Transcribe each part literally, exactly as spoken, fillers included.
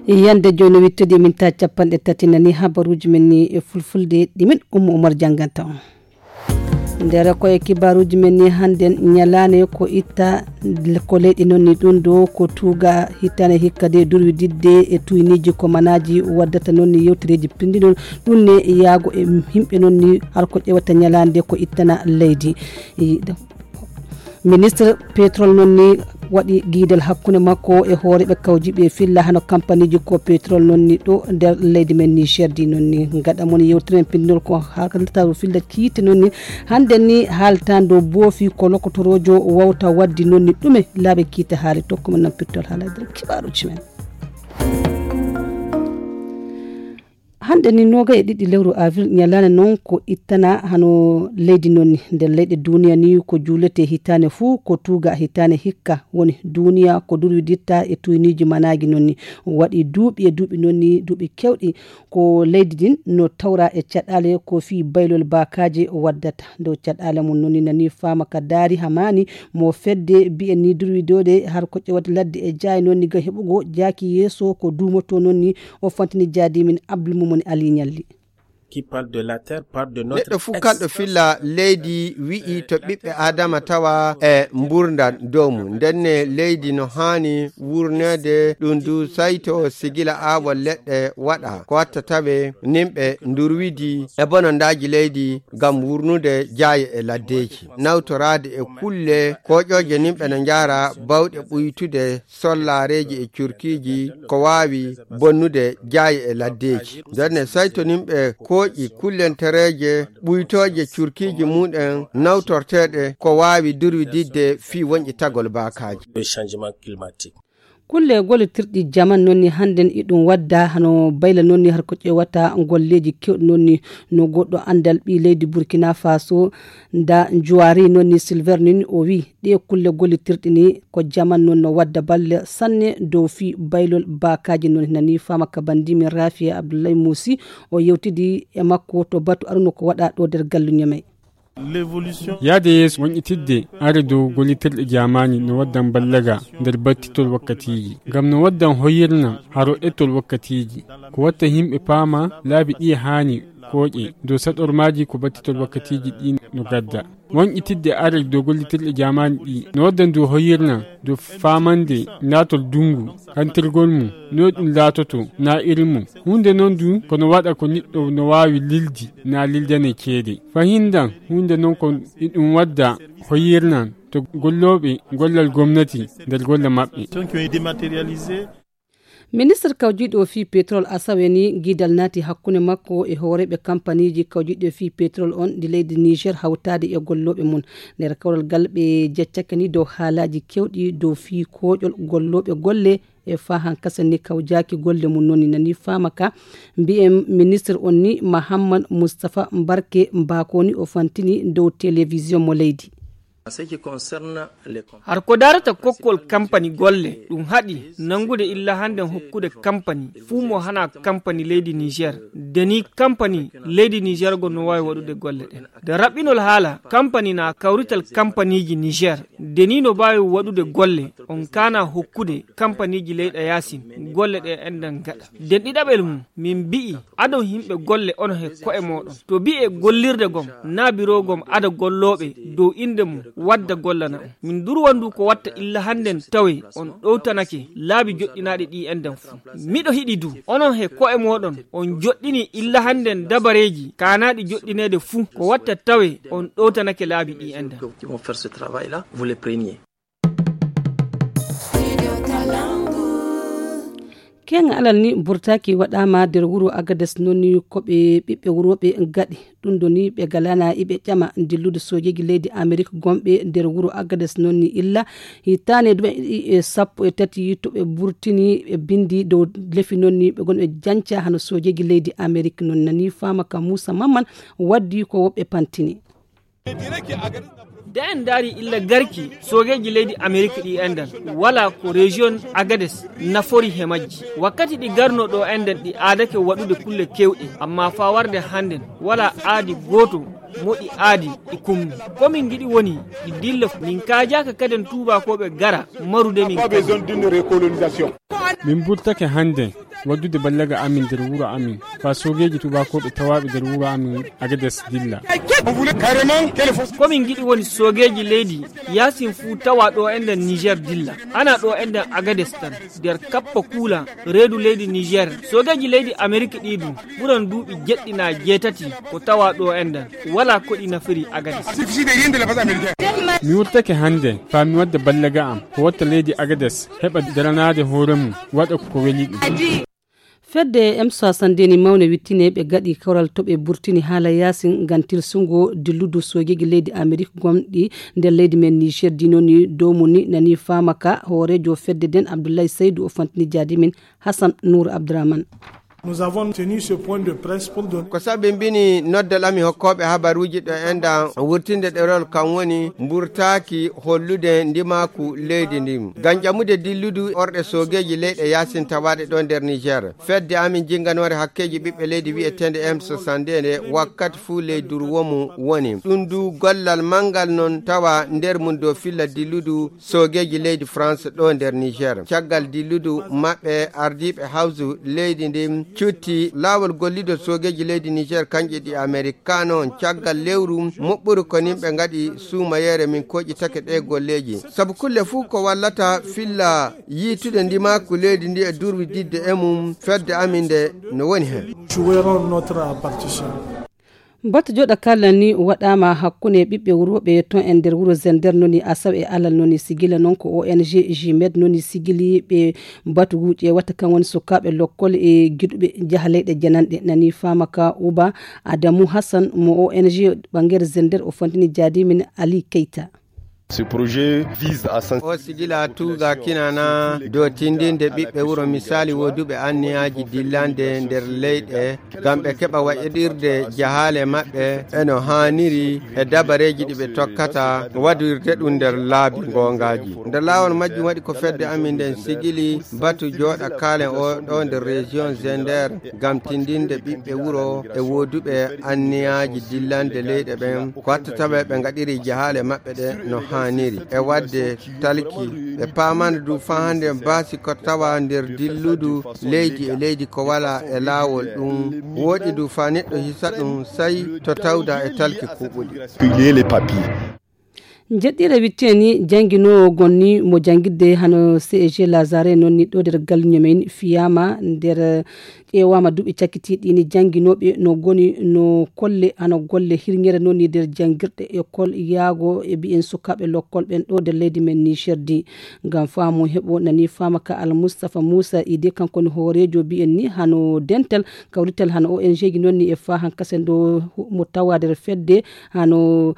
Yande jooni wittude min ta capanɗe tati nani habaruuji men ni e fulfulde ɗi min Ummu Umar jannganta on. Nder ko e kibaaruuji men ni hannden ñalaande ko itta ko leyɗi noon ni ɗum ɗo ko tuuga hittaane hikka de durwi didde e tuyniiji ko manaaji waddata noon ni yewtereeji pinndi noon ɗum ne yaago e yimɓe noon ni har ko ƴewata ñalaande ko ittana leydi. Ministre pétrole noon ni waɗi giidal hakkunde makko e hooreeɓe kawjiiɓe filla hano kampaniiji ko pétrole noon ni ɗo nder leydi men Niger di noon ni gaɗa mon yewtiren pinndol ko haaltaro filla kiite noon ni hannden ni haaltando boofi ko lokotoroojo wawta waddi noon ni ɗume laaɓe kiite haali tokko men noon pittol haala e nder kibaaruuji men. Hannde ni noga e ɗiɗi lewru avril ñalaande noon ko ittana hano leydi noon ni nder leyɗe duniya ni ko juulete hitaane fuu ko tuuga hitaane hikka woni duniya ko durwiditta e tuyniiji manaaji noon ni waɗi duuɓi e duuɓi noon ni duuɓi kewɗi ko leydi din no tawra e caɗaale ko fii baylol baakaaje waddata dow caɗaale mum noon ni nani faama ka daari hamaani mo fedde bi'en ni durwidoode har ko ƴewata ladde e jaayi noon ni ga heɓugo jaaki yeeso ko duumoto noon ni o fantini jaadi min Abdul Mumuni Ali Ñalli. Qui parle de la terre, parle de notre neɗɗo fuu kalɗo filla leydi wi'i to ɓiɓɓe adama tawa e mburdan dow mum ndenne leydi no haani wurneede ɗum du sayto sigila aawol leɗɗe waɗa ko watta tawe nimɓe ndurwidi e bonondaaji leydi ngam wurnude jaaye e laddeeji nawtoraade e kulle koƴooje nimɓe no njaara bawɗe ɓuytude sollaareeji e curkiiji ko waawi bonnude jaaye e laddeeji ndenne saytoninɓe kooƴi kullentereeje ɓuytooje curkiiji mumen nawtorteeɗe ko waawi durwididde fii wonƴitagol baakaaji. Kulle gollitirɗi jaman noon ni hannden iɗum wadda hano bayla noon ni har ko ƴewata golleeji kewɗi noon ni no goɗɗo anndal ɓii leydi Burkina Faso nda juwaari noon ni Silver nin o wi ɗe kulle gollitirɗi ni ko jaman noon no wadda balle sanne dow fii baylol baakaaji noon nani faama ka banndi min Rafiya Abdullahi Muusi o yewtidi e makko to batu aruno ko waɗa ɗo nder gallu Ñamey. Yahde yeeso woñƴitidde are dow gollitirɗe jaamaani no waddan ballaga nder battitol wakkatiiji ngam no waddan hoyirna haro ettol wakkatiiji ko watta yimɓe paama laabi ɗi haani kooƴe dow saɗormaaji ko battitol wakkatiiji ɗi no gadda woñƴitidde are dow gollitirɗe jaamaani ɗi no waddan dow hoyirna dow faamande naatol dunngu kantirgol mum no ɗum laatoto na irin mum huunde noon du kono waɗa ko niɗɗo no waawi lildi na lildane ceede fahindan huunde noon ko iɗum wadda hoyirnan to gollooɓe gollal gomnati nder golle maɓɓe. Ministre kawjiiɗo fii petrol asawe ni giidal naati hakkunde makko e hooreeɓe kampaniiji kawjiiɗo fii petrol on ndi leydi Niger hawtaade e gollooɓe mum nder kawral gal ɓe jeccake ni dow haalaaji kewɗi dow fii kooƴol gollooɓe golle e fahan kasen ni kawjaaki golle mum noon ni nani faama ka mbiyen ministre on ni Mahammad Moustapha Mbarke Mbako ni o fantini dow télévision mo leydi. Har ko darata kokkol kampani golle ɗum haɗi nangude illa hannden hokkude kampani fuu mo hana kampani leydi Niger deni kampani leydi Niger go no waawi waɗude golle ɗen nde raɓɓinol haala kampani na kawrital kampaniiji Niger deni no baawi waɗude golle on kaana hokkude kampaniiji leyɗa yaasin golle ɗe enɗan gaɗa nden ɗiɗaɓel mum min mbi'i adon yimɓe golle on he ko'e mooɗon to bi'e gollirde gom na biro gom ada gollooɓe dow innde mum wadda gollana on min durwa ndu ko watta illa hannden tawe on ɗowtanake laabi joɗɗinaaɗi ɗi enɗan fuu miɗo hiɗi du onon he ko'e mooɗon on joɗɗini illa hannden dabareeji kaanaaɗi joɗɗineede fuu ko watta tawe on ɗowtanake laabi ɗi enɗan. Keŋŋa alal ni burtaaki waɗaama nder wuro Agades noon ni ko ɓe ɓiɓɓe wurooɓe gaɗi ɗum ɗo ni ɓe galana iɓe ƴama dillude soojeeji leydi Amerik gomɓe nder wuro Agades noon ni illa hitaane dume ɗiɗi e sappo e tati to ɓe burtini ɓe bindi dow lefi noon ni ɓe gonɓe janca hano soojeeji leydi Amerik noon nani faama ka Muusa Mamman waddi ko woɓɓe pantini. Nde en ndaari illa garki soogeeji leydi Amerik ɗi enɗan wala ko rejiyon Agades nafori he majji wakkati ɗi garno ɗo enɗan ɗi aadake waɗude kulle kewɗe amma faa warde hannden wala aadi gooto mo ɗi aadi ɗi kummi ko min ngiɗi woni ɗi dilla min kaajaaka kaden tuubakooɓe gara marude min. Min burtake hannden waddude ballaga amin nder wuro amin, faa soogeeji tubaakooɓe tawaaɓe nder wuro amin Agades dilla. Ko min ngiɗi woni soogeeji leydi yaasin fuu tawa ɗo enɗen Niger dilla. Ana ɗo enɗen Agades tan, nder kappa kuula reedu leydi Niger. Soogeeji leydi Amerik ɗi ɗum ɓuran duuɓi jeɗɗi naa jeetati ko tawa ɗo enɗen. Walaa ko ɗi nafiri Agades. Mi wurtake hannde faa mi wadda ballaga am, ko watta leydi Agades heɓa daranaade hoore mum, waɗa ko weli ɗum. Fedde M soixante-deux ni mawne wittine ɓe gaɗi kawral to ɓe burtini haala yaasin ngam tilsungo dilludu soogeeji leydi Amerik gomɗi nder leydi men Niger. Dino ni dow mum ni nani faama ka hooreejo fedde nden Abdoulaye Seydou o fantini jaadi min Hassan Nour Abdourahmane. Nous avons tenu ce point de presse pour donner. Ko sabi mbini noddal ami hokkooɓe habaruuji ɗo enɗan wurtinde ɗerol kam woni mburtaaki hollude ndimaaku leydi ndin. Ngam ƴamude dilludu orɗe soogeeji leyɗe yaasin tawaaɗe ɗo nder Niger. Fedde amin jinnganoore hakkeeji ɓiɓɓe leydi wi'eteende M soixante-deux nde wakkati fuu ley durwo mum woni. Ɗum du gollal manngal non tawa nder mum dow filla dilludu soogeeji leydi France ɗo nder Niger. Caggal dilludu maɓɓe, ardiiɓe hawsu leydi ndin cutti laawol gollidol soogeeji leydi Niger, kanƴe ɗi Amerikano on. Caggal lewru moɓɓuru ko nin ɓe ngaɗi suumayeere min koƴitake ɗe golleeji. Sabu kulle fuu ko wallata filla yiitude ndimaaku leydi ndi e durwididde e mum, fedde amin nde no woni hen. Jouerons notre partition. Batu joɗa kala ni waɗama hakkunde ɓiɓɓe wuro ɓe ton e nder wuro Zender noni Asaw e Alal noni sigila non ko O N G Jimed noni sigili ɓe batu wuuƴe watta kan woni sukaaɓe lokkol e giɗuɓe jaha leyɗe jananɗe nani faama ka Uba Adamu Hassan mo O N G ɓangere Zender o fantini jaadi min Ali Keita. Ce projet vise à sens- O sigila tuuga kinana dow tindinde ɓiɓɓe wuro misali woduɓe anniyaaji dillande nder leyɗe ngam ɓe keɓa waɗirde jahaale maɓɓe e no haaniri e dabareeji ɗi ɓe tokkata waɗirde ɗum nder laabi goongaaji. Nder laawol majjum waɗi ko fedde amin nden sigili batu jooɗa kaalen o ɗo nder région Zender ngam tindinde ɓiɓɓe wuro e woduɓe anniyaaji dillande leyɗe ɓen ko watta tawa ɓe ngaɗiri jahaale maɓɓe ɗe no haaniri e waɗde talki. Ɓe paamana du faa hannde baasi ko tawa nder dilludu leydi e leydi ko wala e laawol ɗum. Wooɗi du faa neɗɗo hisa ɗum sai to tawda e talki kuɓuɗi. Jeɗɗire witteni jannginoowo gonni mo janngirde hano C E G Lazare noon ni ɗo nder galño men fiyama nder ƴeewaama duuɓi cakkitiiɗi ni jannginooɓe no goni no kolle hano golle hirñere noon ni nder janngirɗe école yaago e mbiyen sukaaɓe lokkol ɓen ɗo nder leydi men Niger di. Ngam faamu heɓo nani faama ka Al Mustafa Musa Ide kanko ni hooreejo mbiyen ni hano dental kawrital hano O N G ji noon ni e faa hankasen ɗo mo tawa nder fedde hano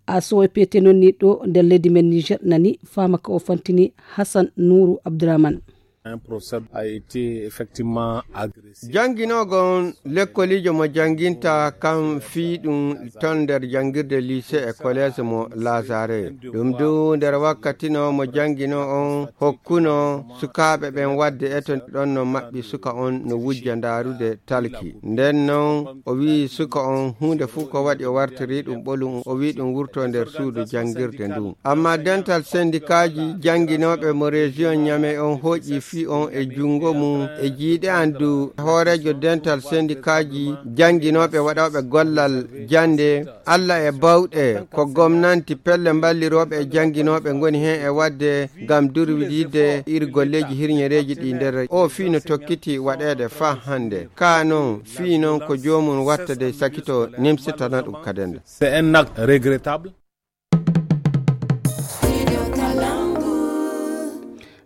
A S O P T noon ni ɗo nder leydi men Niger nani faama ka o fantini Hassan Nourou Abdourahmane. Un professeur a été effectivement agressé. Jannginoogo on lekkoliijo mo jannginta kam fii ɗum ton nder janngirde lycée e collège mo Lazare. Ɗum du nder wakkati no mo jannginoo on hokkuno sukaaɓe ɓen waɗde eto ɗon no maɓɓi suka on no wujja ndaarude talki. Nden non o wi'i suka on huunde fuu ko waɗi o wartiri ɗum ɓolum, o wi'i ɗum wurto nder suudu janngirde ndun. Amma dental sendikaaji jannginooɓe mo région Niamey on hooƴi fii on e junngo mum e jiiɗe an du hooreejo dental sendikaaji jannginooɓe waɗooɓe gollal jannde Alla e bawɗe ko gomnanti pelle mballirooɓe e jannginooɓe ngoni heen e waɗde ngam durwididde iri golleeji hirñereeji ɗi nder o fii no tokkiti waɗeede faa hannde. Kaa noon fii noon ko joomum watta dey sakito nimsitana ɗum kadi nde. C'est un acte regrettable.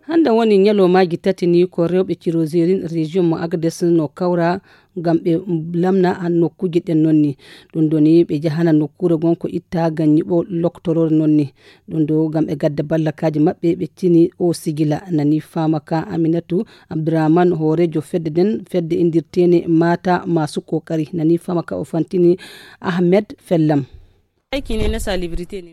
Hannde woni ñalawmaaji tati ni ko rewɓe Cirozerin région mo Agades no kawra ngam ɓe lamna nokkuuji ɗen noon ni. Ɗum ɗo ni ɓe njahana nokkuure gon ko itta ngam ñiɓo loktoroore noon ni. Ɗum ɗo ngam ɓe gadda ballakaaji maɓɓe ɓe tini o sigila nani faama ka Aminatu Abdourahmane hooreejo fedde nden fedde inndirteene Mata Masu Kokari nani faama ka o fantini Ahmed Fellam.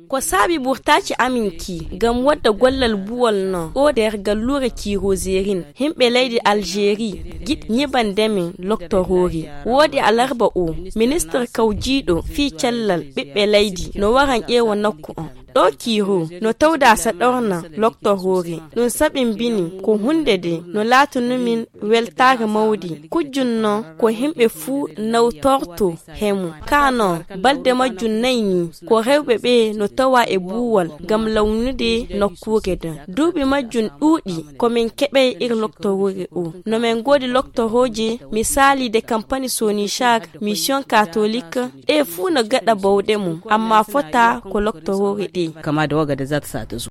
Ko saabi ɓurtaaci amin ki ngam wadda gollal buwal no o nder galluure Cirozerin. Himɓe leydi Algérie giɗ ñiɓande min loktoroori. Woodi alarba o, ministre kawjiiɗo fii cellal ɓiɓɓe leydi no waran ƴeewa nokku on. Ɗo kiiro no tawda saɗorna loktoroore. Ɗum saɓi mbini ko huunde de no laatunoo min weltaare mawde. Kujjun noon ko himɓe fuu nawtorto he mum. Kaa noon, balɗe majjum nayi nii, ko rewɓe ɓe no tawa e buuwal ngam lawnude nokkuure nden. Duuɓi majjum ɗuuɗi ko min keɓay ir loktoroore o. No min ngoodi loktorooje, misaali de kampani Sonichar, Mission Catholique, ɗe fuu no gaɗa bawɗe mum, amma fota ko loktoroore ɗe. Kama da waga da za ta sa ta zo.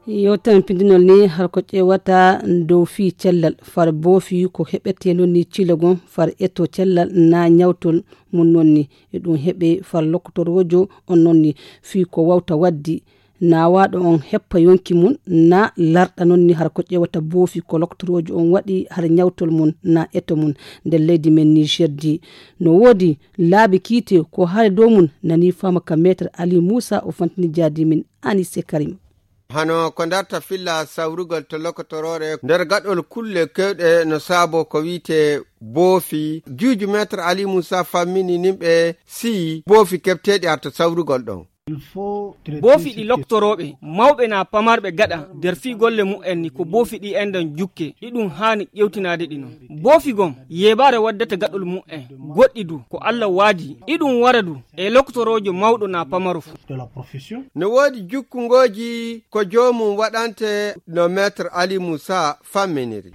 Yewtere pindinol ni har ko ƴeewata dow fii cellal, far boofi ko heɓetee noon ni cilogon, far eto cellal na ñawtol mum noon ni. E ɗum heɓe far loktoroojo on noon ni fii ko wawta waddi na waaɗo on heppa yonki mum, na larɗa noon ni har ko ƴeewata boofi ko loktoroojo on waɗi har ñawtol mum na eto mum. Nder leydi men Niger di, no woodi laabi kiite ko haali dow mum, nani faama ka Maître Ali Moussa, o fantini jaadi min Anise Karim. Hano ko darta filla sawrugol to lokotoroore nder gaɗol kulle kewɗe no saabo ko wi'ete boofi. Juuju Maître Ali Moussa fammini nimɓe si boofi keɓteeɗi har to sawrugol ɗon. Boofi ɗi loktorooɓe mawɓe na pamarɓe gaɗa nder fii golle mu'en ni ko boofi ɗi enɗan jukke, iɗum haani ƴewtinaade ɗi noon. Boofi gom yeebaare waddata gaɗol mu'en, goɗɗi du ko Alla waadi, iɗum wara du e loktoroojo mawɗo na pamaro fuu. No woodi jukkungooji ko joomum waɗante no Maître Ali Moussa famminiri.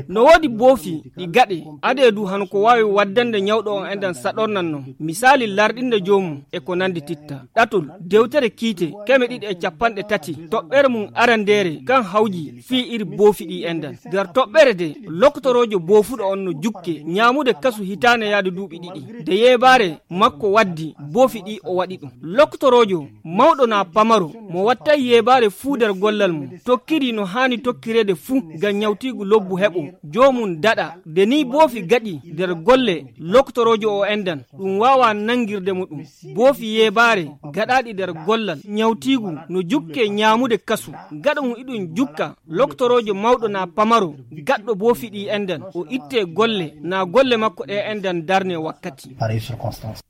No woodi boofi ɗi gaɗe adee du hano ko waawi waddande ñawɗo on enɗan saɗornan noon. Misaali larɗinde joomum e ko nandi titta. Ɗatol, dewtere kiite, keme ɗiɗi e capanɗe tati, toɓɓere mum arandeere, kan hawji fii iri boofi ɗi enɗan. Nder toɓɓere de, loktoroojo boofuɗo on no jukke, ñaamude kasu hitaane yaade duuɓi ɗiɗi. De yeebaare makko waddi, boofi ɗi o waɗi ɗum. Loktoroojo, mawɗo na pamaro, mo wattay yeebaare fuu nder gollal mum, tokkiri no haani tokkireede fuu ngam ñawtiigu lobbu heɓo, joomum daɗa. De nii boofi gaɗi nder golle loktoroojo o enɗan, ɗum waawaa nanngirde mo ɗum. Boofi yeebaare gaɗaaɗi nder gollal ñawtiigu no jukke ñaamude kasu. Gaɗa mum iɗum jukka, loktoroojo mawɗo na pamaro, gaɗɗo boofi ɗi enɗan, o itte golle, na golle makko ɗe enɗan darne wakkati.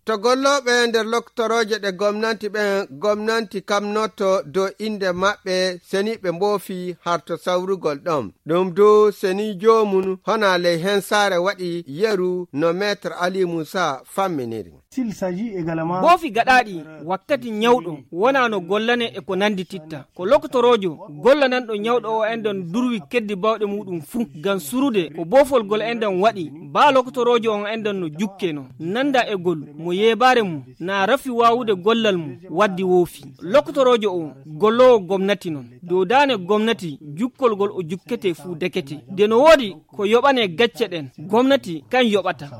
To gollooɓe nder loktorooje ɗe gomnanti ɓen, gomnanti kamnoto dow innde maɓɓe, seniiɓe mboofi har to sawrugol ɗon. Ɗum dow senii joomum honaa ley hensaare waɗi yeru no Maître Ali Moussa famminiri. Boofi gaɗaaɗi wakkati ñawɗo wonaa no gollane e ko nandi titta. Ko loktoroojo gollananɗo ñawɗo o enɗan durwi keddi bawɗe muɗum fuu ngam surude ko boofol gol enɗan waɗi. Baa loktoroojo on enɗan no jukke no nanda e gol mo yeebaare mum na rafi waawude gollal mum waddi woofi. Loktoroojo o golloowo gomnati non. Dow daane gomnati jukkol gol o jukkete fuu dekete. De no woodi ko yoɓane gacce ɗen, gomnati kan yoɓata.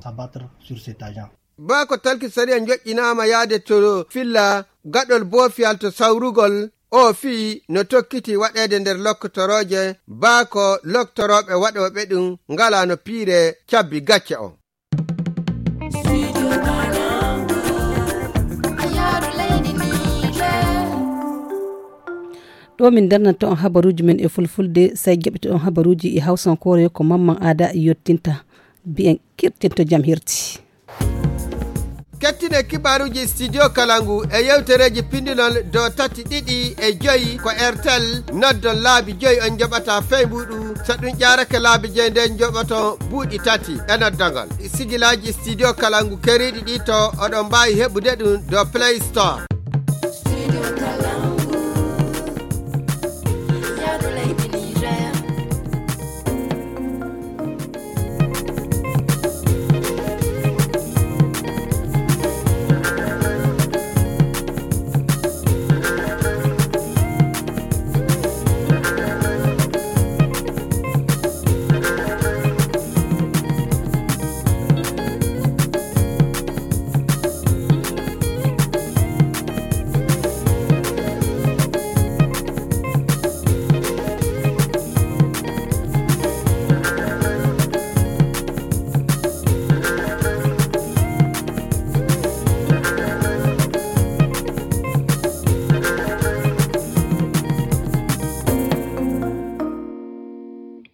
Baa ko talki sariya njoƴƴinaama yaade to filla gaɗol boofiyal to sawrugol, o fii no tokkiti waɗeede nder lokkotorooje, baa ko loktorooɓe waɗooɓe ɗum ngalaa no piire cabbi gacce o. Ɗo min darnata on habaruuji men e fulfulde, say jaɓɓito on habaruuji e hawsankoore ko Mamman Aada yottinta. Mbiyen kirtinto jam hirti. Kettine kibaaruuji Studio Kalangu e yewtereeji pindinol dow tati ɗiɗi e joyi ko Airtel. Noddon laabi joyi on njoɓata fey mbuuɗu. So ɗum ƴaarake laabi joyi nden njoɓoton buuɗi tati e noddagol. Sigilaaji Studio Kalangu keriiɗi ɗi to oɗon mbaawi heɓude ɗum dow Play Store.